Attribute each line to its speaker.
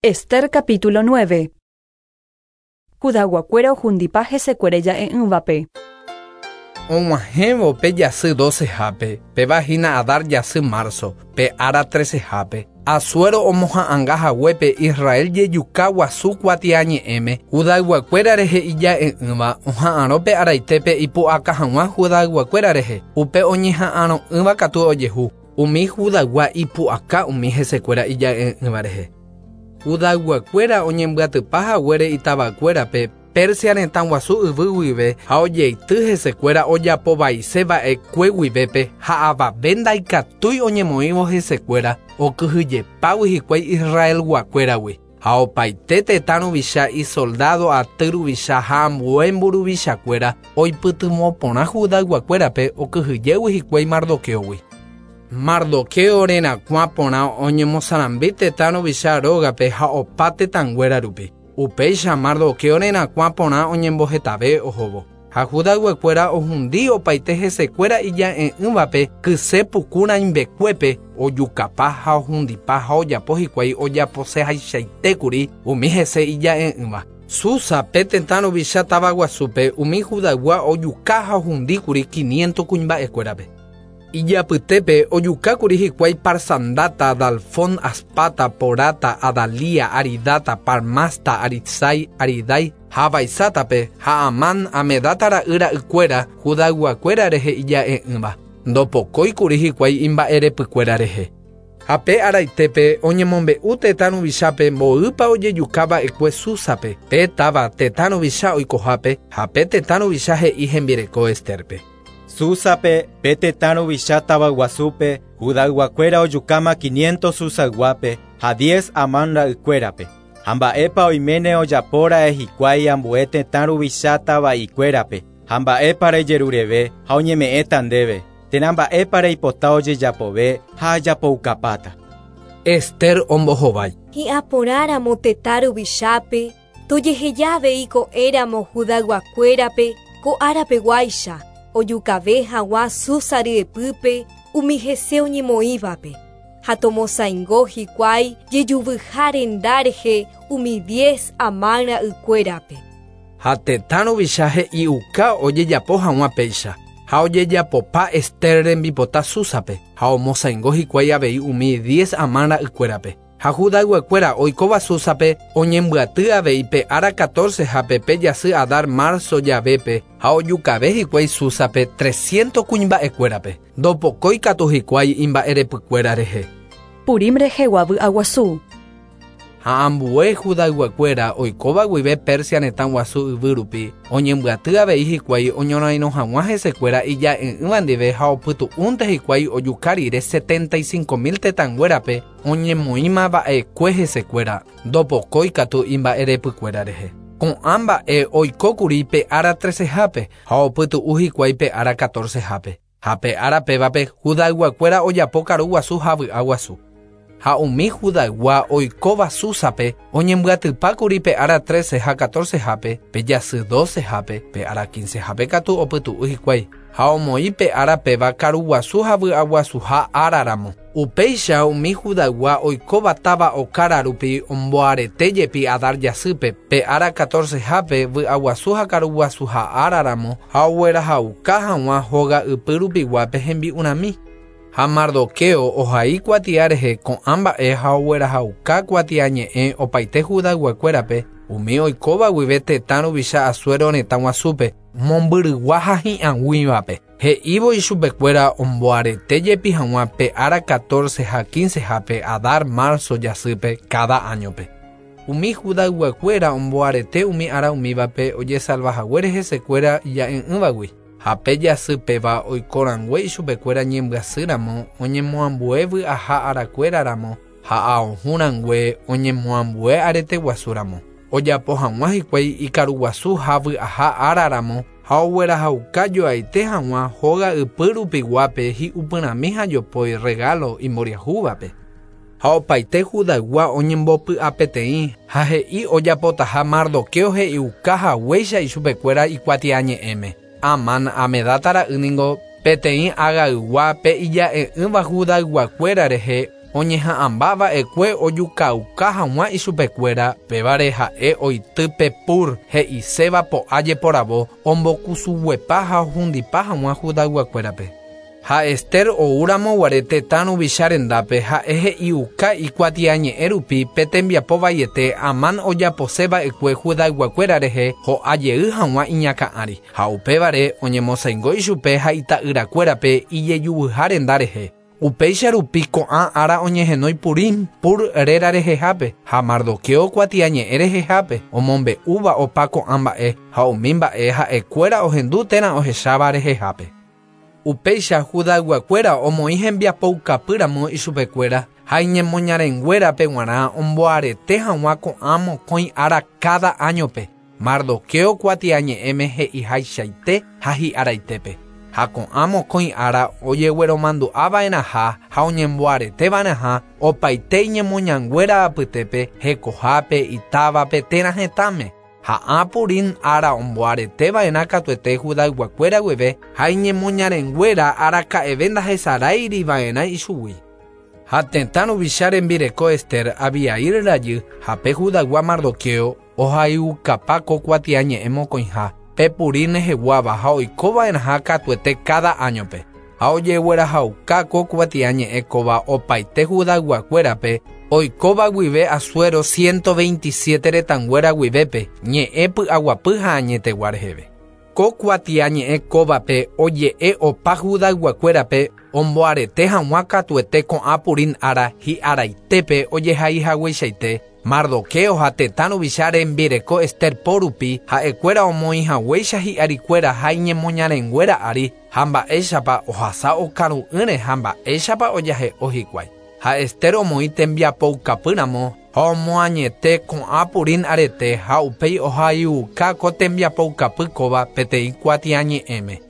Speaker 1: Ester capítulo 9. Judayguakuéra ohundipa hesekuéra ija'e'ỹvape.
Speaker 2: Og̃uahẽvo pe jasy docehápe, péva hína Adar jasy marzo, pe ára trecehápe, Asuero omoha'ãnga haguépe Israel jejuka guasu kuatiañe'ẽme, Judayguakuéra rehe ija'e'ỹva oha'ãrõ pe araitépe ipu'aka hag̃ua Judayguakuéra rehe, upe oñeha'ãrõ'ỹva katu ojehu, umi Judaygua ipu'aka umi hesekuéra ija'e'ỹva rehe. Judayguakuéra oñembyatypa haguére itavakuérape Persia retã guasu yvy guive ha ojeity hesekuéra ojapovaise va'ekue guivépe ha avave ndaikatúi oñemoĩvo hesekuéra okyhyjepágui hikuái Israelguakuéragui ha opaite tetã ruvicha isoldado aty ruvicha ha ambue mburuvichakuéra oipytyvõ porã Judayguakuérape okyhyjégui hikuái Mardoqueogui. Mardoqueo rerakuã porã oñemosarambi tetã ruvicha rógape ha opa tetãnguéra rupi. Upéicha Mardoqueo rerakuã porã oñembohetave ohóvo. Ha Judayguakuéra ohundi opaite hesekuéra ija'e'ỹvape kyse puku rãimbekuépe ojukapa ha ohundipa ha ojapo hikuái ojaposehaichaitékuri umi hese ija'e'ỹva. Susa pe tetã ruvicha tavaguasúpe umi Judaygua ojuka ha ohundíkuri 500 kuimba'ekuérape. Ijapytépe ojukákuri hikuái Parsandata, Dalfón, Aspata, Porata, Adalia, Aridata, Parmasta, Aritsai, Aridai ha Vaisátape ha Amán, Amedata ra'y ra'ykuéra Judayguakuéra rehe ija'e'ỹva. Ndopokóikuri hikuái imba'erepykuéra rehe. Ha pe araitépe oñemombe'u tetã ruvichápe mboýpa ojejuka va'ekue Súsape, pe táva tetã ruvicha oikohápe ha pe tetã ruvicha he'i hembireko Esterpe.
Speaker 3: Súsape, pe tetã ruvicha tavaguasúpe, Judayguakuéra ojukáma 500 Susayguápe ha 10 Amán ra'ykuérape. Ha mba'épa oiméne ojapóra'e hikuái ambue tetã ruvicha tava'ikuérape, ha mba'épa rejerureve ha oñeme'ẽta ndéve, térã mba'épa reipota ojejapove ha ajapoukapáta.
Speaker 2: Ester ombohovái.
Speaker 4: Hi'ãporãramo tetã ruvichápe, tojeheja avei ko'ẽramo Judayguakuérape ko árapeguáicha, ojukave hag̃ua Susa ryepýpe umi hese oñemoĩvape, ha tomosãingo hikuái jejuvyha renda rehe umi 10 Amán ra'ykuérape.
Speaker 2: Ha tetã ruvicha he'iuka ojejapo hag̃ua péicha, ha ojejapopa Ester rembipota Súsape, ha omosãingo hikuái avei umi 10 Amán ra'ykuérape. Ha Judayguakuéra oikóva Súsape oñembyaty avei pe ára 14 hápe pe jasy Adar marzo javépe ha ojukave hikuái Súsape 300 kuimba'ekuérape. Ndopokói katu hikuái imba'erepykuéra rehe.
Speaker 1: Purim rehegua vy'aguasu.
Speaker 2: Ha ambue Judayguakuéra oikóva guive Persia retã guasu yvy rupi oñembyaty avei hikuái oñorairõ hag̃ua hesekuéra ija'e'ỹva ndive ha opytu'únte hikuái ojuka rire 75.000 tetãnguérape oñemoĩma va'ekue hesekuéra ndopokói katu imba'erepykuéra rehe. Ko'ã mba'e oikókuri pe ára 13hápe ha opytu'u hikuái pe ára 14hápe. Ha pe ára pévape Judayguakuéra ojapo karu guasu ha vy'a guasu. Ha umi Judaygua oikóva Súsape oñembyatypákuri pe ára 13 ha 14hápe, pe jasy 12hápe, pe ára 15hápe katu opytu'u hikuái. Ha omoĩ pe ára péva karu guasu ha vy'a guasuha áraramo. Upéicha umi Judaygua oikóva táva okára rupi omboarete jepi Adar jasýpe, pe ára 14hápe vy'a guasu ha karu guasuha áraramo ha oguerahauka hag̃ua hóga ypy rupiguápe hembi'urãmi. Ha Mardoqueo ohai kuatia rehe ko'ã mba'e ha oguerahauka kuatiañe'ẽ opaite Judayguakuérape umi oikóva guive tetã ruvicha Asuero retã guasúpe mombyrygua ha hi'ag̃uívape. He'ívo ichupekuéra omboarete jepi hag̃ua pe ára 14 ha 15hápe Adar marzo jasýpe cada áñope. Umi Judayguakuéra omboarete umi ára umívape ojesalva haguére hesekuéra ija'e'ỹvagui. Ha pe jasy péva oikorãngue ichupekuéra ñembyasýramo oñemoambue vy'aha arakuéraramo ha aohũrãngue oñemoambue arete guasúramo. Ojapo hag̃ua hikuái ikaru guasu ha vy'aha áraramo ha oguerahauka joaite hag̃ua hóga ypy rupiguápe hi'upyrãmi ha jopói regalo imboriahúvape. Ha opaite Judaygua oñembopy'apeteĩ ha he'i ojapotaha Mardoqueo he'iuka haguéicha ichupekuéra ikuatiañe'ẽme. Amán Amedata ra'y ningo peteĩ agaygua pe ija'e'ỹva Judayguakuéra rehe Oñeha'ãmbava'ekue ojukauka hag̃ua ichupekuéra, pévare ha'e oity pe pur he'iséva po'a jeporavo ombokusuguepa ha ohundipa hag̃ua Judayguakuérape. Ha Ester oúramoguare tetã ruvicha rendápe ha'e he'iuka ikuatiañe'ẽ rupi pe tembiapo vaiete Amán ojaposeva'ekue Judayguakuéra rehe ho'a jey hag̃ua iñakã'ári ha upévare oñemosãingo ichupe ha ita'yrakuérape ijejuvyha renda rehe. Upéicha rupi ko'ã ára oñehenói Purim Pur réra rehehápe ha Mardoqueo kuatiañe'ẽ rehehápe omombe'úva opa ko'ã mba'e ha umi mba'e ha'ekuéra ohendu térã ohecháva rehehápe. Upéicha Judayguakuéra omoĩ hembiapoukapýramo ichupekuéra ha iñemoñarenguérape g̃uarã omboarete hag̃ua ko'ã mokõi ára káda áñope Mardoqueo kuatiañe'ẽme he'ihaichaite ha hi'araitépe. Ha ko'ã mokõi ára ojegueromandu'ava'erãha ha oñemboareteva'erãha opaite iñemoñanguéra apytépe hekohápe itávape térã hetãme. Ha ã Purim ára omboareteva'erã katuete Judayguakuéra guive ha iñemoñarenguéra araka'eve ndahesaráiriva'erã ichugui. Ha tetã ruvicha rembireko Ester Abihail rajy ha pe Judaygua Mardoqueo ohayhukapa ko kuatiañe'ẽ mokõiha pe Purim reheguáva ha oikova'erãha katuete káda áñope. Ha ojeguerahauka ko kuatiañe'ẽ kóva opaite Judayguakuérape oikóva guive Asuero 127 retãnguéra guivépe ñe'ẽ py'aguapy ha añetegua reheve. Ko kuatiañe'ẽ kóvape oje'e opa Judayguakuérape omboarete hag̃ua katuete ko'ã Purim ára hi'araitépe ojehaihagueichaite Mardoqueo ha tetã ruvicha rembireko Ester po rupi ha'ekuéra omoĩhaguéicha hi'arikuéra ha iñemoñarenguéra ári ha mba'éichapa ohasa okaru'ỹre ha mba'éichapa ojahe'o hikuái. Ha Ester omoĩ tembiapoukapýramo ha omoañete ko'ã Purim arete ha upéi ohayhuka ko tembiapoukapy kóva peteĩ kuatiañe'ẽme.